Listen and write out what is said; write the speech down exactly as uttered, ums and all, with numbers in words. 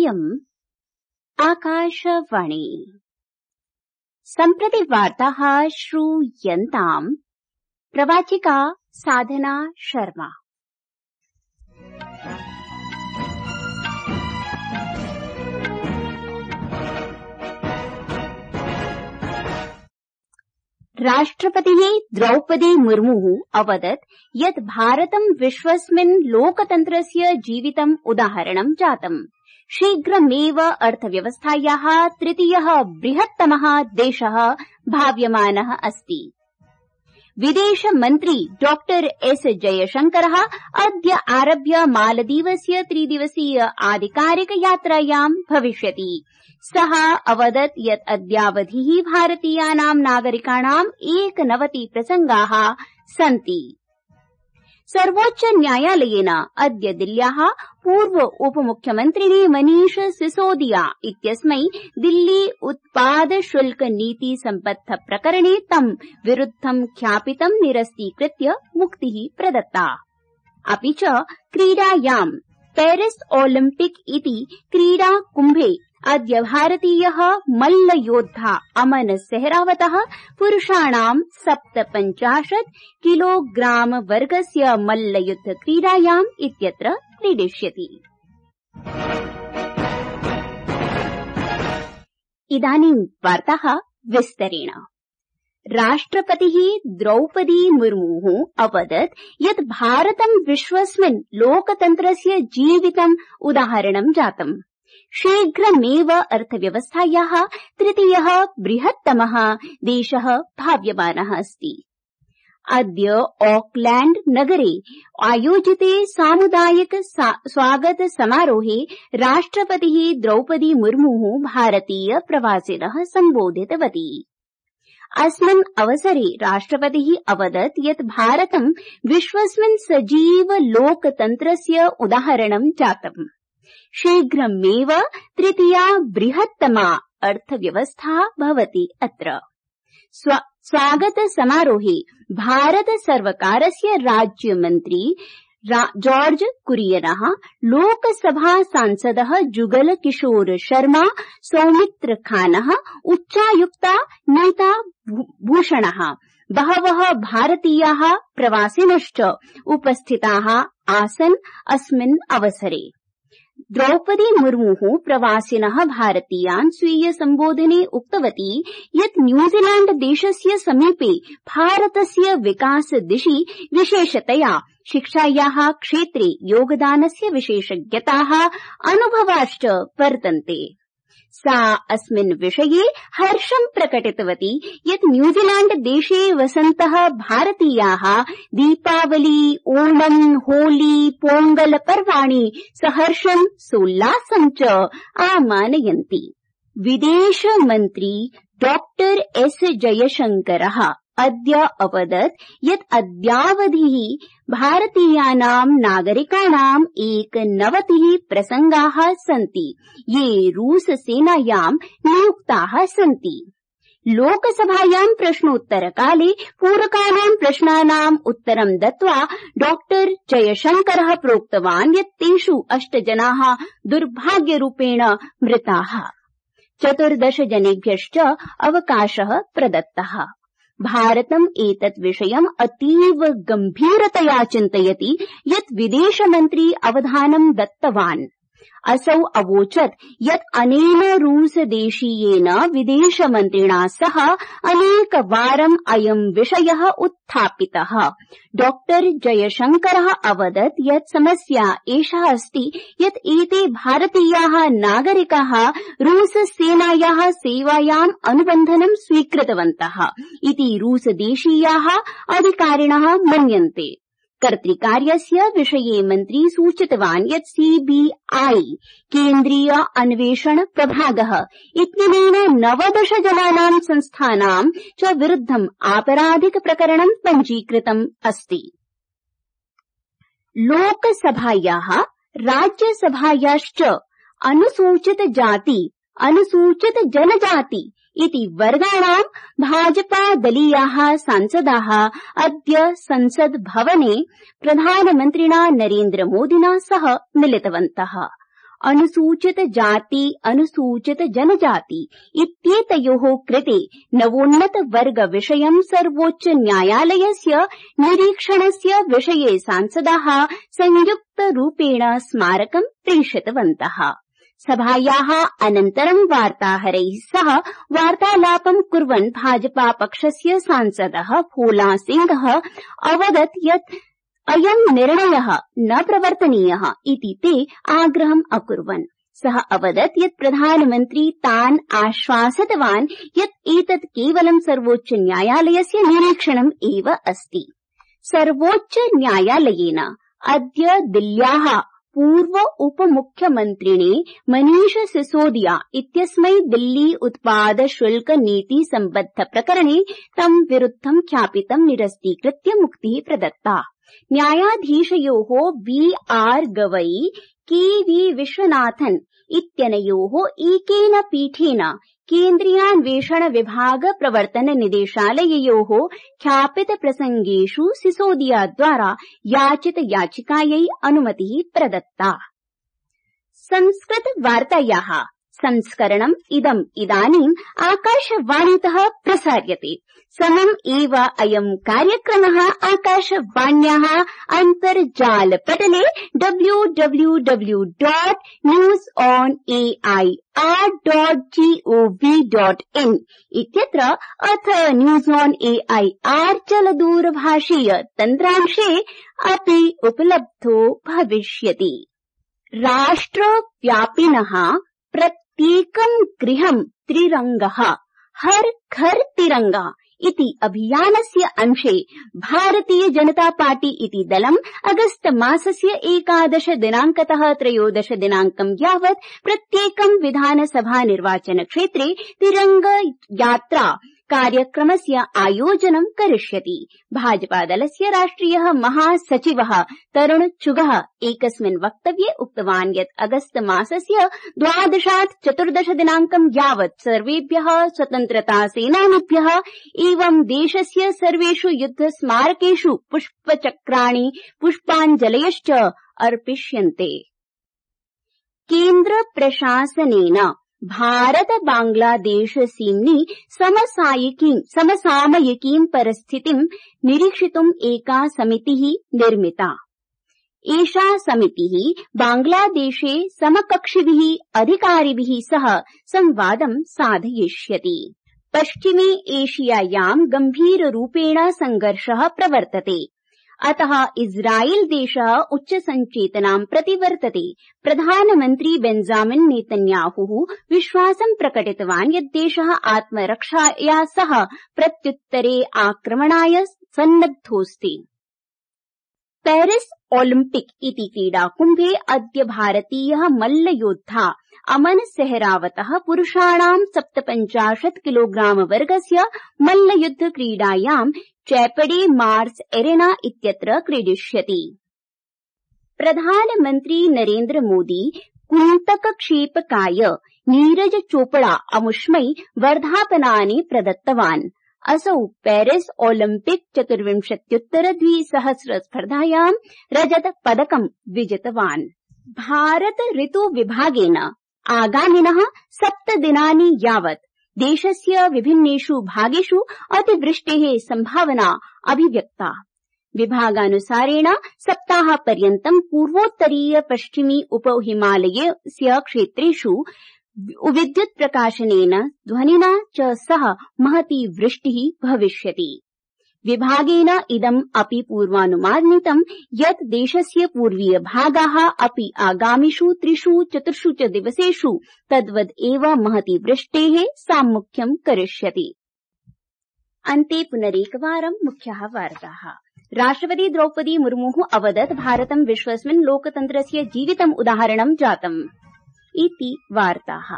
इयम् आकाशवाणी। सम्प्रति वार्ताः श्रूयन्ताम् प्रवाचिका साधना शर्मा। राष्ट्रपतिः द्रौपदी मुर्मुः अवदत् यत् भारतं विश्वस्मिन् लोकतन्त्रस्य जीवितम् उदाहरणं जातम्। शीघ्रमेव अर्थव्यवस्थायाः तृतीयः बृहत्तमः देशः भाव्यमानः अस्ति। विदेशमन्त्री डॉक्टर एस जयशंकरः अद्य आरभ्य मालदीवस्य त्रिदिवसीय आधिकारिक यात्रायां भविष्यति। सः अवदत् यत् अद्यावधिः भारतीयानां नागरिकाणाम् एकनवति प्रसंगाः सन्ति। सर्वोच्च न्यायालयेन अद्य दिल्ल्याः पूर्व उपमुख्यमन्त्रिणे मनीष सिसोदिया इत्यस्मै दिल्ली उत्पाद शुल्क नीति सम्बद्ध प्रकरणे तं विरुद्धं ख्यापितं निरस्तीकृत्य मुक्तिः प्रदत्ता। अपि च क्रीडायां पेरिस ओलिम्पिक इति क्रीडा कुम्भे अद्य भारतीयः मल्लयोद्धा अमन सेहरावतः पुरुषाणां सप्तपञ्चाशत् किलोग्राम वर्गस्य मल्लयुद्ध क्रीडायाम् इत्यत्र क्रीडिष्यति। इदानीं वार्ताः विस्तरेण। राष्ट्रपतिः द्रौपदी मुर्मुः अवदत् यत् भारतं विश्वस्मिन् लोकतन्त्रस्य जीवितम् उदाहरणं जातम्। शीघ्रमेव अर्थव्यवस्थायाः तृतीयः बृहत्तमः देशः भाव्यमानः अस्ति। अद्य ऑकलैंड नगरे आयोजिते सामुदायिक स्वागत समारोहे राष्ट्रपतिः द्रौपदी मुर्मुः भारतीय प्रवासिनः सम्बोधितवती। अस्मिन् अवसरे राष्ट्रपतिः अवदत् यत् भारतं विश्वस्मिन् सजीव लोकतन्त्रस्य उदाहरणं जातम्। शीघ्रमेव तृतीया बृहत्तमा अर्थव्यवस्था भवति अत्र। स्वागत समारोहे भारत सर्वकारस्य राज्यमन्त्री जॉर्ज कुरियनः, लोकसभा सांसदः जुगल किशोर शर्मा, सौमित्र खानः, उच्चायुक्ता नीता भूषणः, बहवः भारतीयाः प्रवासिनश्च उपस्थिताः आसन्। अस्मिन् अवसरे द्रौपदी मुर्मुः प्रवासिनः भारतीयान् स्वीय सम्बोधने उक्तवती यत् न्यूजीलैंड देशस्य समीपे भारतस्य विकास दिशि विशेषतया शिक्षायाः क्षेत्रे योगदानस्य विशेषज्ञताः अनुभवाश्च वर्तन्ते। सा अस्मिन् विषये हर्षं प्रकटितवती यत् न्यूजीलैंड देशे वसन्तः भारतीयाः दीपावली, ओणम्, होली, पोंगल पर्वाणि सहर्षं सोल्लासं च आमानयन्ति। विदेशमन्त्री डॉक्टर एस जयशंकरः अद्य अवदत् यत् अद्यावधिः भारतीयानां नागरिकाणाम् एकनवतिः प्रसंगाः सन्ति ये रूस सेनायां नियुक्ताः सन्ति। लोकसभायां प्रश्नोत्तरकाले पूरकानां प्रश्नानाम् उत्तरं दत्त्वा डॉक्टर जयशंकरः प्रोक्तवान् यत् तेषु अष्ट जनाः दुर्भाग्यरूपेण मृताः। चतुर्दश जनेभ्यश्च अवकाशः प्रदत्तः। भारतम् एतत् विषयम् अतीव गम्भीरतया चिन्तयति यत् विदेशमन्त्री अवधानं दत्तवान्। असौ अवोचत् यत् अनेन रूसदेशीयेन विदेशमन्त्रिणा सह अनेकवारम् अयं विषयः उत्थापितः। डॉक्टर जयशंकरः अवदत् यत् समस्या एषा अस्ति यत् एते भारतीयाः नागरिकाः रूससेनायाः सेवायाम् अनुबन्धनं स्वीकृतवन्तः इति रूसदेशीयाः अधिकारिणः मन्यन्ते। कर्तृकार्यस्य विषये मन्त्री सूचितवान् यत् सीबीआई केन्द्रीय अन्वेषण प्रभागः इत्यनेन नवदश जनानां संस्थानां च विरुद्धम् आपराधिक प्रकरणं पञ्जीकृतम् अस्ति। लोकसभायाः राज्यसभायाश्च अनुसूचित जाति अनुसूचित जनजाति इति वर्गाणां भाजपादलीयाः सांसदाः अद्य संसद् भवने प्रधानमन्त्रिणा नरेन्द्रमोदिना सह मिलितवन्तः। अनुसूचित जाति अनुसूचित जनजाति इत्येतयोः कृते नवोन्नत वर्ग विषयं सर्वोच्च न्यायालयस्य निरीक्षणस्य विषये सांसदाः संयुक्तरूपेण स्मारकं प्रेषितवन्तः। सभायाः अनन्तरं वार्ताहरैः सह वार्तालापं कुर्वन् भाजपा पक्षस्य सांसदः भोला सिंहः अवदत् यत् अयं निर्णयः न प्रवर्तनीयः इति ते आग्रहम् अकुर्वन्। सः अवदत् यत् प्रधानमन्त्री तान् आश्वासितवान् यत् एतत् केवलं सर्वोच्च न्यायालयस्य निरीक्षणम् एव अस्ति। सर्वोच्च न्यायालयेन अद्य दिल्ल्याः पूर्व उपमुख्यमन्त्रिणे मनीष सिसोदिया इत्यस्मै दिल्ली उत्पाद शुल्क नीति सम्बद्ध प्रकरणे तं विरुद्धं ख्यापितं निरस्तीकृत्य मुक्तिः प्रदत्ता। न्यायाधीशयोः बी आर गवई के वी विश्वनाथन इत्यनयोः एकेन पीठेन केन्द्रीयान्वेषण विभाग प्रवर्तन निदेशालययोः ख्यापित प्रसंगेषु सिसोदिया द्वारा याचित याचिकायै अनुमतिः प्रदत्ता। संस्कृत वार्तायाः संस्करणम् इदम् इदानीम् आकाशवाणीतः प्रसार्यते। समम् एव अयम् कार्यक्रमः आकाशवाण्याः अन्तर्जालपटले W W W dot news on A I R dot G O V dot in इत्यत्र अथ news on A I R चलदूरभाषीय तन्त्रांशे अपि उपलब्धो भविष्यति। राष्ट्रव्यापिनः प्रत्येकं गृहं त्रिरङ्गः हर घर तिरंगा इति अभियानस्य अंशे भारतीय जनता पार्टी इति दलम् अगस्त मासस्य एकादश दिनाङ्कतः त्रयोदश दिनाङ्कं यावत् प्रत्येकं विधानसभा निर्वाचनक्षेत्रे तिरंग यात्रा कार्यक्रमस्य आयोजनं करिष्यति। भाजपादलस्य राष्ट्रियः महासचिवः तरुण चुगः एकस्मिन् वक्तव्ये उक्तवान् यत् अगस्त मासस्य द्वादशात् चतुर्दश दिनाङ्कं यावत् सर्वेभ्यः स्वतन्त्रतासेनानिभ्यः एवं देशस्य सर्वेषु युद्धस्मारकेषु पुष्पचक्राणि पुष्पाञ्जलयश्च अर्पिष्यन्ते। केन्द्र प्रशासनेन भारत बांग्लादेश सीम्नि समसामयिकीं समसामयिकीं परिस्थितिं निरीक्षितुम् एका समितिः निर्मिता। एषा समितिः बांग्लादेशे समकक्षिभिः अधिकारिभिः सह संवादं साधयिष्यति। पश्चिमे एशियायां गम्भीररूपेण संघर्षः प्रवर्तते। अतः इस्राएल देशः उच्चसंचेतनां प्रतिवर्तते। प्रधानमन्त्री बेंजामिन नेतन्याहुः विश्वासं प्रकटितवान् यत् देशः आत्मरक्षाया सह प्रत्युत्तरे आक्रमणाय सन्नद्धोऽस्ति। पेरिस ओलिम्पिक इति क्रीडाकुम्भे अद्य भारतीयः मल्लयोद्धा अमन सेहरावतः पुरुषाणां सप्तपञ्चाशत् किलोग्राम वर्गस्य मल्लयुद्ध क्रीडायां चैपडे मार्स एरेना इत्यत्र क्रीडिष्यति। प्रधानमन्त्री नरेन्द्र मोदी कुन्तकक्षेपकाय नीरज चोपड़ा अमुष्मै वर्धापनानि प्रदत्तवान्। असौ पेरिस ओलिम्पिक चतुर्विंशत्युत्तर द्विसहस्र स्पर्धायां रजत पदकं विजितवान्। भारत ऋतु विभागेन आगामिनः सप्तदिनानि यावत् देशस्य विभिन्नेषु भागेषु अतिवृष्टेः सम्भावना अभिव्यक्ता। विभागानुसारेण सप्ताहपर्यन्तं पूर्वोत्तरीय पश्चिमी उपहिमालयस्य क्षेत्रेषु विद्युत् प्रकाशनेन ध्वनिना च सह महती वृष्टिः भविष्यति। विभागेन इदम् अपि पूर्वानुमानितं यत् देशस्य पूर्वीय भागाः अपि आगामिषु त्रिषु चतुर्षु च दिवसेषु तद्वद् एव महती वृष्टेः साम्मुख्यं करिष्यति। अन्ते पुनरेकवारं मुख्याः वार्ताः। राष्ट्रपति द्रौपदी मुर्मुः अवदत् भारतं विश्वस्मिन् लोकतन्त्रस्य जीवितम् उदाहरणं जातम् इति वार्ताः।